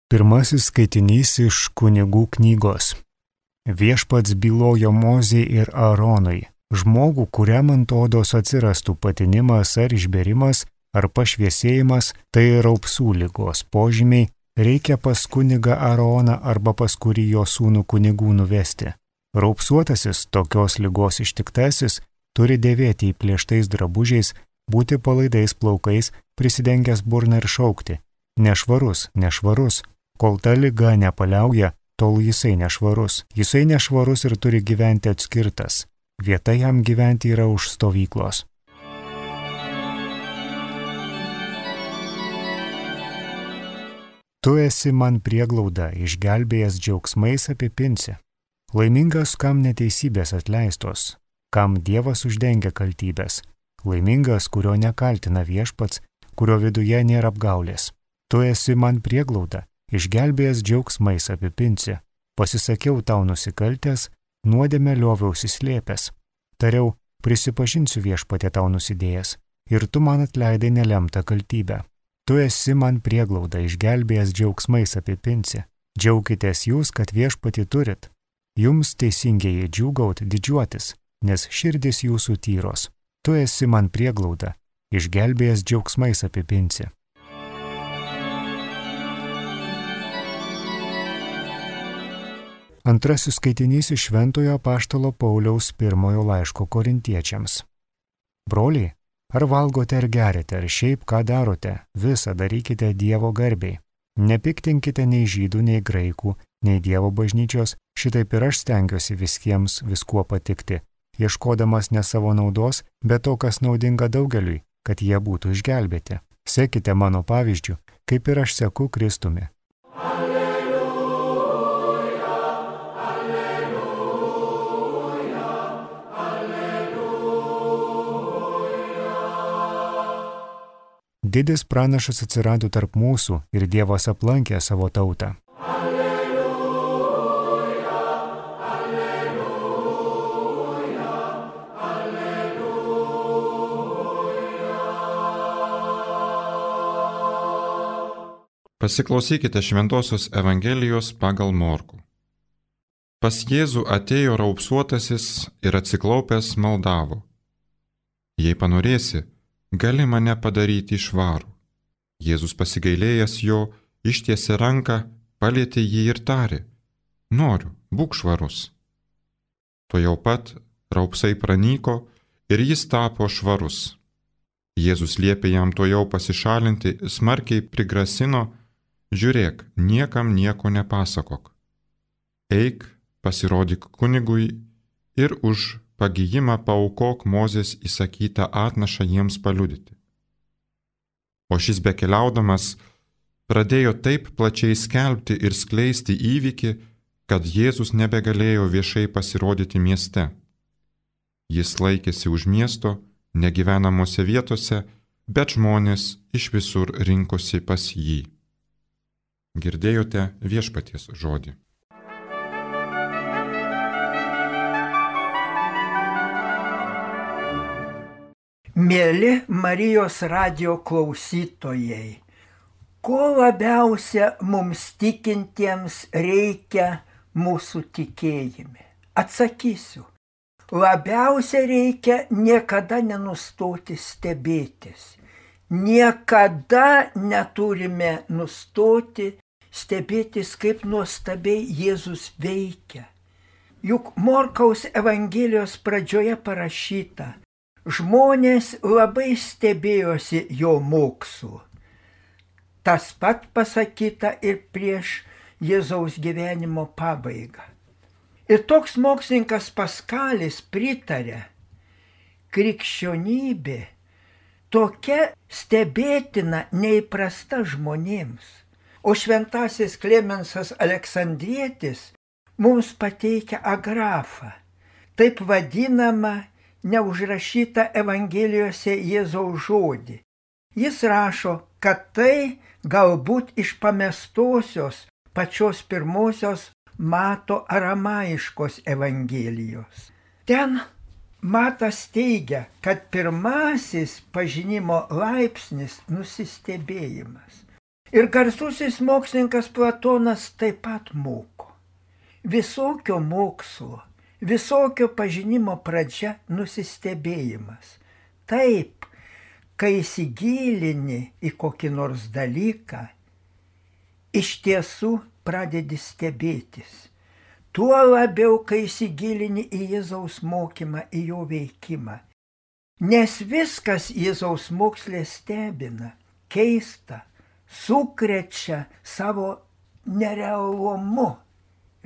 Pirmasis skaitinys iš Kunigų knygos. Viešpats bylojo Mozei ir Aaronui, žmogų, kuriam ant odos atsirastų patinimas ar išberimas ar pašviesėjimas, tai raupsų ligos požymiai, reikia pas kunigą Aaroną arba pas kurį jo sūnų kunigų nuvesti. Raupsuotasis, tokios ligos ištiktasis, turi dėvėti įplėštais drabužiais, būti palaidais plaukais, prisidengęs burną ir šaukti: nešvarus, nešvarus. Kol ta liga nepaliauja, tol jisai nešvarus. Jisai nešvarus ir turi gyventi atskirtas. Vieta jam gyventi yra už stovyklos. Tu esi man prieglauda, išgelbėjęs džiaugsmais apipinsi. Laimingas, kam neteisybės atleistos, kam Dievas uždengia kaltybės. Laimingas, kurio nekaltina viešpats, kurio viduje nėra apgaulės. Tu esi man prieglauda, išgelbėjęs džiaugsmais apipinsi. Pasisakiau tau nusikaltęs, nuodėmę lioviausi slėpęs. Tariau, prisipažinsiu viešpatie tau nusidėjęs, ir tu man atleidai nelemtą kaltybę. Tu esi man prieglauda, išgelbėjęs džiaugsmais apipinsi. Džiaukitės jūs, kad viešpatį turit. Jums teisingieji džiūgaut didžiuotis, nes širdis jūsų tyros. Tu esi man prieglauda, išgelbėjęs džiaugsmais apipinsi. Antrasis skaitinys iš Šventojo apaštalo Pauliaus pirmojo laiško Korintiečiams. Broliai, ar valgote ar geriate, ar šiaip ką darote, visą darykite Dievo garbei. Nepiktinkite nei žydų, nei graikų, nei Dievo bažnyčios, šitaip ir aš stengiuosi visiems viskuo patikti, ieškodamas ne savo naudos, bet to, kas naudinga daugeliui, kad jie būtų išgelbėti. Sekite mano pavyzdžiu, kaip ir aš seku Kristumi. Didis pranašas atsirado tarp mūsų ir Dievas aplankė savo tautą. Alleluja, alleluja, alleluja. Pasiklausykite Šventosios Evangelijos pagal Morkų. Pas Jėzų atėjo raupsuotasis ir atsiklaupęs maldavo: Jei panorėsi, gali mane padaryti švarų. Jėzus pasigailėjęs jo, ištiesė ranką, palietė jį ir tarė: Noriu, būk švarus. Tuojau pat raupsai pranyko ir jis tapo švarus. Jėzus liepė jam tuojau pasišalinti, smarkiai prigrasino: Žiūrėk, niekam nieko nepasakok. Eik, pasirodyk kunigui ir už pagijimą paaukok Mozės įsakytą atnašą jiems paliudyti. O šis bekeliaudamas pradėjo taip plačiai skelbti ir skleisti įvykį, kad Jėzus nebegalėjo viešai pasirodyti mieste. Jis laikėsi už miesto, negyvenamose vietose, bet žmonės iš visur rinkosi pas jį. Girdėjote viešpaties žodį. Mėly Marijos radijo klausytojai, ko labiausia mums tikintiems reikia mūsų tikėjime? Atsakysiu, labiausia reikia niekada nenustoti stebėtis. Niekada neturime nustoti stebėtis, kaip nuostabiai Jėzus veikia. Juk Morkaus Evangelijos pradžioje parašyta: žmonės labai stebėjosi jo mokslu. Tas pat pasakyta ir prieš Jėzaus gyvenimo pabaigą. Ir toks mokslininkas Paskalis pritarė: krikščionybė tokia stebėtina, neįprasta žmonėms. O šventasis Klemensas Aleksandrietis mums pateikia agrafą, taip vadinamą neužrašytą Evangelijose Jėzaus žodį. Jis rašo, kad tai galbūt iš pamestosios pačios pirmosios Mato aramaiškos Evangelijos. Ten Matas teigia, kad pirmasis pažinimo laipsnis nusistebėjimas. Ir garsusis mokslininkas Platonas taip pat moko. Visokio mokslo, visokio pažinimo pradžia nusistebėjimas. Taip, kai įsigilini į kokį nors dalyką, iš tiesų pradedi stebėtis. Tuo labiau, kai įsigilini į Jėzaus mokymą, į jo veikimą. Nes viskas Jėzaus mokslė stebina, keista, sukrečia savo nerealumu,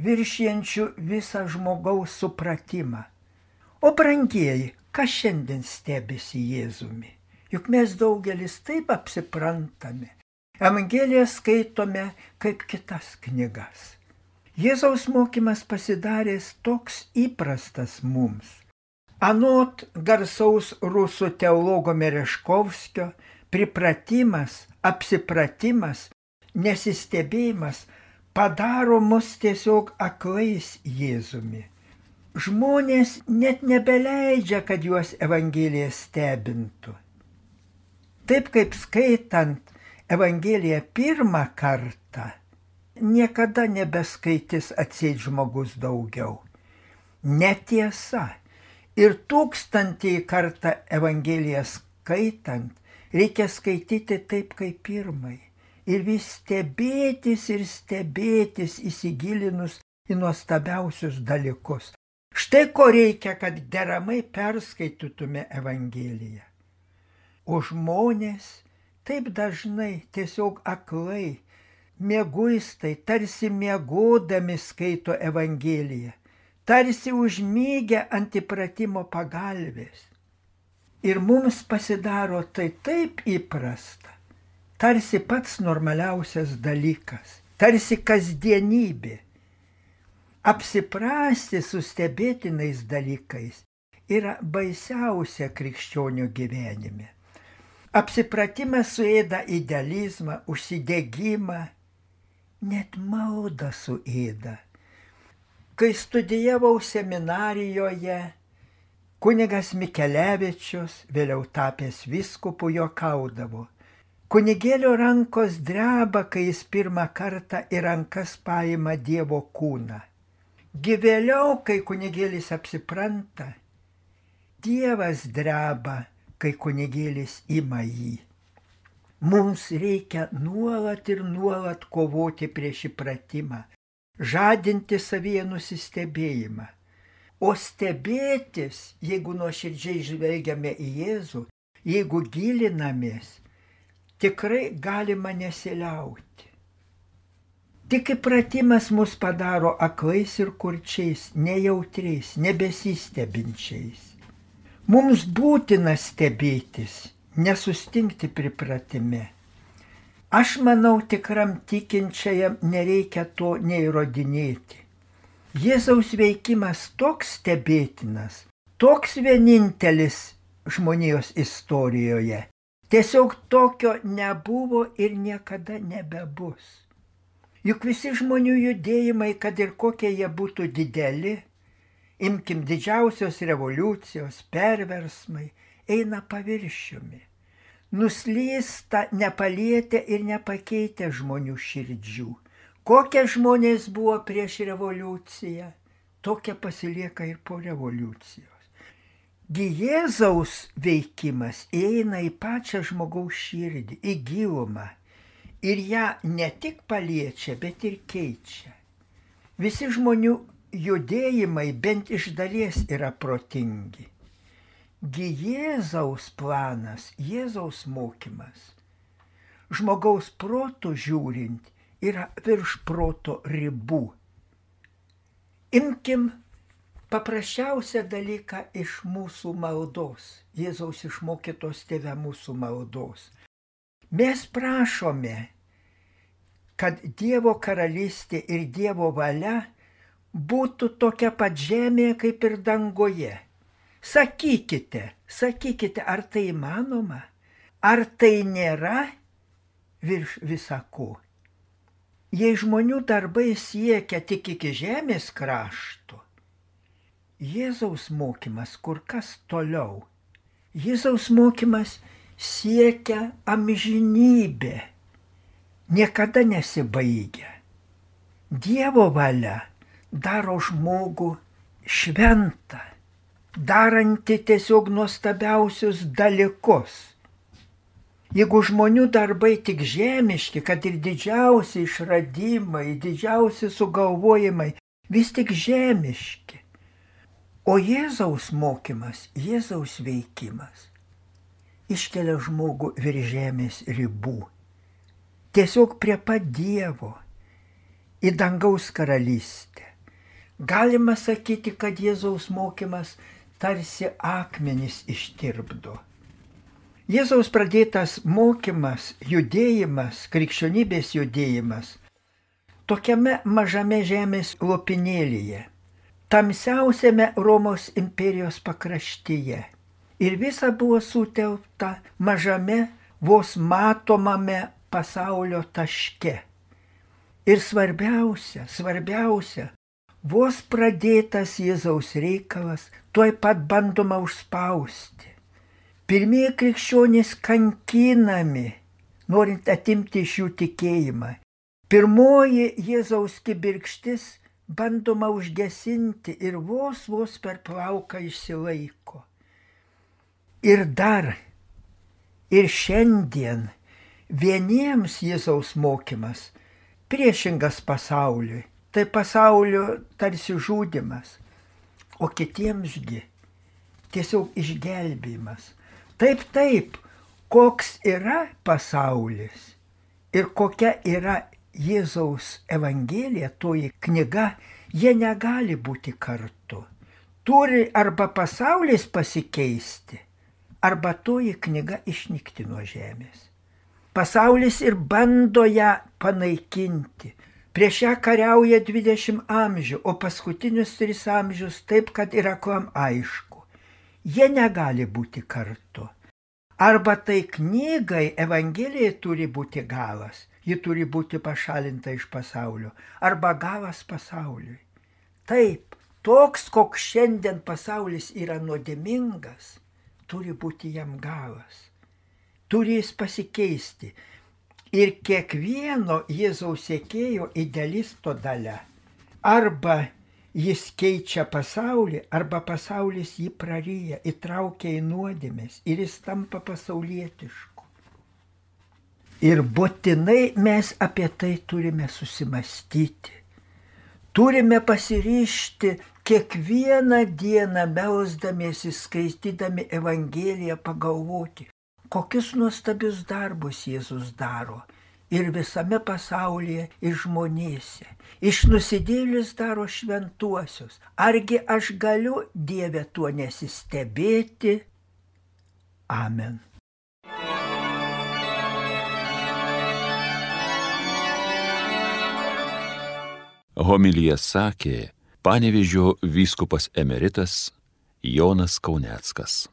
viršijančiu visą žmogaus supratimą. O brangieji, kas šiandien stebisi Jėzumi? Juk mes daugelis taip apsiprantame. Evangeliją skaitome kaip kitas knygas. Jėzaus mokymas pasidaręs toks įprastas mums. Anot garsaus rusų teologo Mereškovskio, pripratimas, apsipratimas, nesistebėjimas padaro mus tiesiog aklais Jėzumi. Žmonės net nebeleidžia, kad juos Evangelija stebintų. Taip kaip skaitant Evangeliją pirmą kartą, niekada nebeskaitys atseit žmogus daugiau. Netiesa. Ir 1000 kartą Evangeliją skaitant, reikia skaityti taip kaip pirmai. Ir vis stebėtis ir stebėtis įsigilinus į nuostabiausius dalykus. Štai ko reikia, kad deramai perskaitytume Evangeliją. O žmonės taip dažnai tiesiog aklai, mieguistai, tarsi miegodami skaito Evangeliją, tarsi užmygę ant įpratimo pagalvės. Ir mums pasidaro tai taip įprasta, tarsi pats normaliausias dalykas, tarsi kasdienybė. Apsiprasti su stebėtinais dalykais yra baisiausia krikščionio gyvenime. Apsipratimas suėda idealizmą, užsidegimą, net maldą suėda. Kai studijavau seminarijoje, kunigas Mikelevičius, vėliau tapęs vyskupu, juokaudavo. Kunigėlio rankos dreba, kai jis pirmą kartą į rankas paima Dievo kūną. Vėliau, kai kunigėlis apsipranta, Dievas dreba, kai kunigėlis ima jį. Mums reikia nuolat ir nuolat kovoti prieš įpratimą, žadinti savyje nusistebėjimą. O stebėtis, jeigu nuoširdžiai žvelgiame į Jėzų, jeigu gilinamės, tikrai galima nesiliauti. Tik įpratimas mus padaro aklais ir kurčiais, nejautriais, nebesistebinčiais. Mums būtina stebėtis, nesustingti pripratime. Aš manau, tikram tikinčiajam nereikia to neįrodinėti. Jėzaus veikimas toks stebėtinas, toks vienintelis žmonijos istorijoje. Tiesiog tokio nebuvo ir niekada nebebus. Juk visi žmonių judėjimai, kad ir kokie jie būtų dideli, imkim didžiausios revoliucijos, perversmai, eina paviršiumi. Nuslysta nepalietę ir nepakeitę žmonių širdžių. Kokie žmonės buvo prieš revoliuciją, tokie pasilieka ir po revoliucijos. Jėzaus veikimas įeina į pačią žmogaus širdį, į gilumą. Ir ją ne tik paliečia, bet ir keičia. Visi žmonių judėjimai bent iš dalies yra protingi. Jėzaus planas, Jėzaus mokymas, žmogaus protų žiūrint, yra virš proto ribų. Imkim paprasčiausią dalyką iš mūsų maldos, Jėzaus išmokytos tėve mūsų maldos. Mes prašome, kad Dievo karalystė ir Dievo valia būtų tokia pat žemėje kaip ir dangoje. Sakykite, ar tai įmanoma? Ar tai nėra virš visako? Jei žmonių darbai siekia tik iki žemės krašto, Jėzaus mokymas kur kas toliau. Jėzaus mokymas siekia amžinybę. niekada nesibaigia. Dievo valia daro žmogų šventą, daranti tiesiog nuostabiausius dalykus. Jeigu žmonių darbai tik žemiški, kad ir didžiausi išradimai, didžiausi sugalvojimai, vis tik žemiški. O Jėzaus mokymas, Jėzaus veikimas iškelia žmogų virš žemės ribų. Tiesiog prie pat Dievo, į dangaus karalystę. Galima sakyti, kad Jėzaus mokymas tarsi akmenis ištirpdo. Jėzaus pradėtas mokymas, judėjimas, krikščionybės judėjimas, tokiame mažame žemės lopinėlyje, tamsiausiame Romos imperijos pakraštyje. Ir visa buvo sutelkta mažame, vos matomame pasaulio taške. Ir svarbiausia, vos pradėtas Jėzaus reikalas, tuoj pat bandoma užspausti. Pirmieji krikščionys kankinami, norint atimti iš jų tikėjimą. Pirmoji Jėzaus kibirkštis bandoma užgesinti ir vos per plauką išsilaiko. Ir dar, ir šiandien vieniems Jėzaus mokymas priešingas pasauliui, tai pasaulio tarsi žudymas, o kitiemsgi tiesiog išgelbėjimas. Taip, koks yra pasaulis ir kokia yra Jėzaus Evangelija, toji knyga, jie negali būti kartu. Turi arba pasaulis pasikeisti, arba toji knyga išnykti nuo žemės. Pasaulis ir bando ją panaikinti. Prieš ją kariauja 20 amžių, o paskutinius 3 amžius taip, kad yra aklam aišku. Jie negali būti kartu. Arba tai knygai, Evangelijai turi būti galas, ji turi būti pašalinta iš pasaulio, arba galas pasauliui. Taip, toks, koks šiandien pasaulis yra nuodėmingas, turi būti jam galas. Turi jis pasikeisti. Ir kiekvieno Jėzaus sekėjo idealisto dalia. Arba jis keičia pasaulį, arba pasaulis jį praryja, įtraukia į nuodėmes ir jis tampa pasaulietišku. Ir būtinai mes apie tai turime susimastyti. Turime pasiryžti kiekvieną dieną melsdamiesi, skaitydami Evangeliją, pagalvoti, kokius nuostabius darbus Jėzus daro ir visame pasaulyje, ir žmonėse. Iš nusidėjėlius daro šventuosius. Argi aš galiu, Dieve, tuo nesistebėti? Amen. Homiliją sakė Panevėžio vyskupas emeritas Jonas Kauneckas.